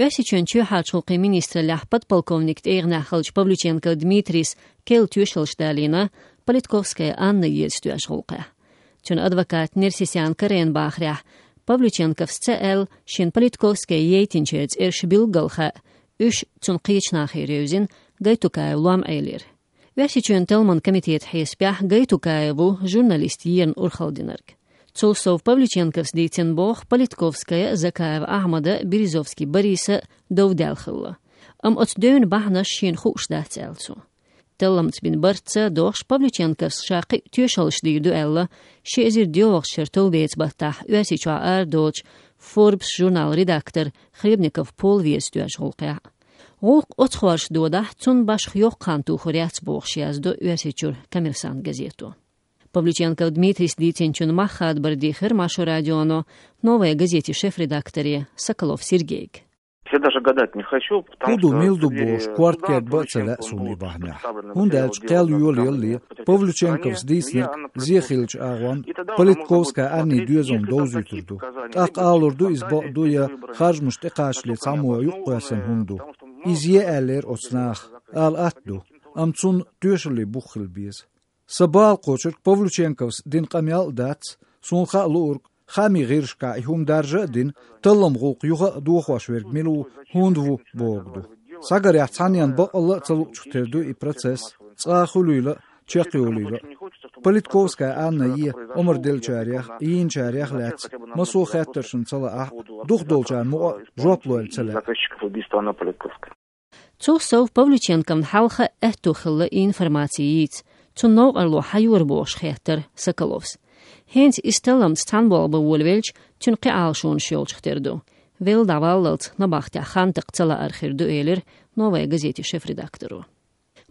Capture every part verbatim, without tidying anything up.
Оьрсийчоьнан чоьхьарчу гӀуллакхийн министраллехь подполковник тӀегӀанехь хиллачу Павлюченков Дмитрийс керла тоьшаллаш далийна Политковская Анна еза тоьшаллин гӀуллакхехь. Цуьнан адвоката Нерсисян Карена бахарехь, Павлюченковс ца аьлла шена Политковская яйтинчеран цӀераш билггал хаьа, уьш цунна кхечу нахера евзина Гайтукаевн лом Ӏелира. Оьрсийчоьнан талламан комитетан хьесапехь Гайтукаев ву журналистан ерна урхалла динарг. Цул сов Павлюченковс дийцина боху Политковская, Закаев Ахьмада, Березовский Бориса дов даьлла хилла. Амма оцу девнан бахьанаш шена хууш дац аьлла цо. Талламца бина бартаца дохуш Павлюченковс ша кхин а тоьшаллаш дийр ду аьлла, ши эзар доьалгӀачу шеран товбеца баттахь Оьрсийчохь арадолучу Forbes журналан редактор Хлебников Пол еза тоьшаллин гӀуллакхехь. ГӀуллакх оцу хорша додахь, цунна башха йоккха хан тухур яц бохуш яздо Оьрсийчуьра Коммерсант газето. Павлюченков Дмитрийс дийцинчун мах хадабар дийхира Маршо радионо Новая газетин шеф-редакторе Соколов Сергейга. Я даже гадать не хочу, потому ХӀун ду, что мила ду бохуш, корта кертабан а ца лаьа суна и бахьанехь. ХӀунда аьлча кхел йолаялале, Павлюченковс дийцинарг зе хиллачу агӀонна Политковская Аннин доьзална довзуьйтур ду. ТӀаккха алур ду, иза бакъ ду я харжамаш тӀекхачале цхьаммо юкъакхоьссина хӀума ду. Иза е аьллера оцу наха, ала атта ду, амма цунна тоьшаллин бух хила беза. Сан бала кхочург Павлюченковс дина къамел а дац, суна хаа луург, хаамийн гӀирсашкахь и хӀума даржа а дина, талламан гӀуллакх юха а дохош верг мила ву, хӀунда ву бохург ду. Схьагарехь, цхьаннена баккъалла а ца луучух тера ду и процесс, цкъа а хуьлийла а, чекхйолийла а. Политковская Анна е омра деллачарех а, йийначарех а лаьцна массо а хаттаршна ца лаахь а, дукхахдолчарна мукъа а жоп лойла ца лаьа. Заказчиков убийства Анны Политковской. Цул сов Павлюченковна хьалха а аьтто хилла и информаци йийца, цунна новкъарло хьан йора бохуш хеттара Соколовс. ХӀинца иза талламца цхьаьна болх бан волавелча, цуьнан кхин Ӏалашонаш йолчух тера ду. Велла дӀаваллалц набахтехь хан такха ца лаар хир ду, элира Новая газетин шеф-редакторо.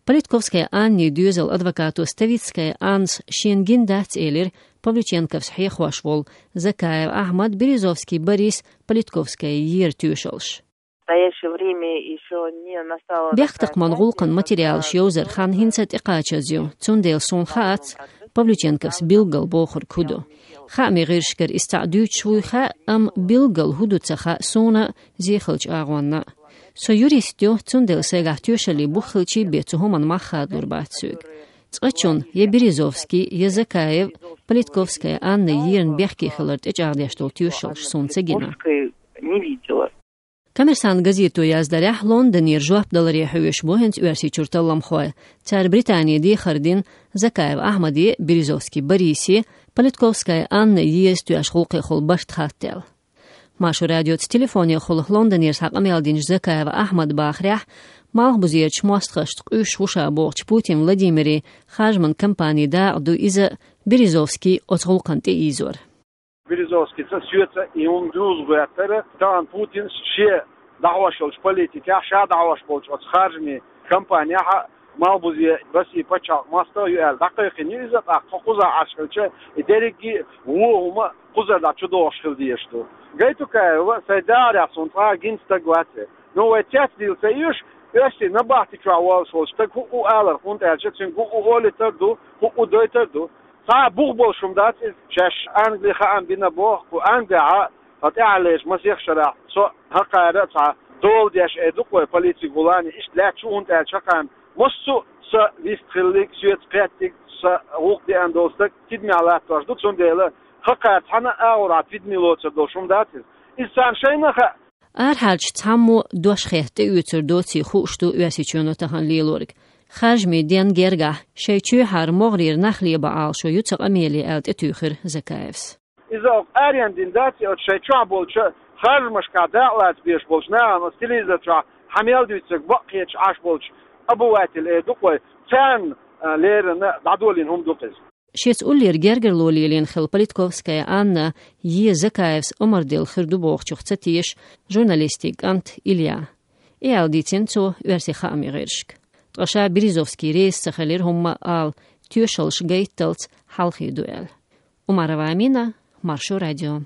Политковская Аннин доьзалан адвокато Ставицкая Аннас шена гина дац, элира Павлюченковс хьехош волу Закаев Ахьмад, Березовский Борис Политковская ера тоьшаллаш. В настоящее время ещё не настала такая стадия, когда... Бехктакхаман гӀуллакхан материалаш йовзаран хан хӀинца а тӀекхачаза ю, цундела суна хаац Павлюченковс билггал бохург хӀун ду. Хаамийн гӀирсашкара иза цхьаъ дуьйцуш вуй хаьа, амма билггал хӀун ду ца хаьа суна а, зе хиллачу агӀонна а. Со юрист ю, цундела сайгахь тоьшаллин бух хилчий бен цу хӀуманна мах хадалур бац соьга. Цкъачунна, я Березовский, я Закаев, Политковская Анна ерна бехке хилар тӀечӀагӀдеш долу тоьшаллаш суна ца гина. Не видела. Коммерсант газето яздарехь, Лондонера жоп даларе хьоьжуш бу хӀинца Оьрсийчуьра талламхой. Цара Британе дехар дина Закаев Ахьмаде а, Березовский Борисе а Политковская Анна еза тоьшаллин гӀуллакхехула барт хаттаделла. Маршо радиоца телефонехула Лондонера схьа къамел динчу Закаев Ахьмада бахарехь, малхбузерчу мостагӀашца къуьйсуш ву ша бохучу Путин Владимиран харжаман кампанин дакъа ду иза, Березовский оцу гӀуллакхна тӀеийзор. Березовскийца, соьца и хӀума дузу гӀоьттара, тахана Путинс шен дӀахьош йолчу политикехь, ша дӀахьош болчу оцу харжамийн кампанехь а малхбузе, Россин пачхьалкх мостагӀа ю аьлла дӀакхайкхина ю иза, тӀаккха тхо кхузахь Ӏаш хилча, и дерриге а вон хӀума кхузара дӀа чудохуш хила дезаш ду. Гайтукаев сайн дахарехь суна цкъа а гина стаг вац. Ну, вай цецдийла ца оьшу, оьрсийн набахти чохь волуш волу стаг хӀуъу алар, хӀунда аьлча цуьнга хӀуъу олуьйтур ду, хӀуъу дойтур ду. Цхьа а бух болуш хӀума дац иза, шаьш Англи хаам бина боху, кху Англехь а, тхан тӀаьхьарлерчу масех шарахь со хӀокхара а цхьа дола деш эр ду-кх вай полицин гӀуллакхна, иштта лаьтташ ву, хӀунда аьлча хӀокхарна массо а сан вист хилларг, соьца кхеттиг, сан гӀуллакх деана долу стаг тидамехь латтош ду, цундела хӀокхара цхьана а агӀор тидаме лоцур долуш хӀума дац иза. Иза царна шайна а хаьа. Арахьарчу цхьаммо дош хетта тӀеоьцур доций хууш ду Оьрсийчоьно тахана лелориг. Харжамийн денна гергахь, шайн чоьхьара могӀарера нах лебан Ӏалашо ю цу къамеле аьлла тӀетуьйхира Закаевс. Иза оха аренна дина дац, и оцу шайн чохь болчу харжамашкахь дакъалаца безаш болчу нахана оцу телевизор чохь хьан мел дуьйцург бакъ хеташ Ӏаш болчу обыватель эр ду-кх вай, царна, а, леррина дӀадолийна хӀума ду-кх иза. Шеца уллера гергарло лелийна хилла Политковская Анна е Закаевс омра делла хир ду бохучух ца теша журналистийн кӀант Илья. И аьлла дийцина цо оьрсийн хаамийн гӀирсашка. Ткъа ша Березовский реза ца хилира хӀумма а ала, тоьшаллаш гайтталц хьалхе ду аьлла. Умарова Амина, Маршо радио.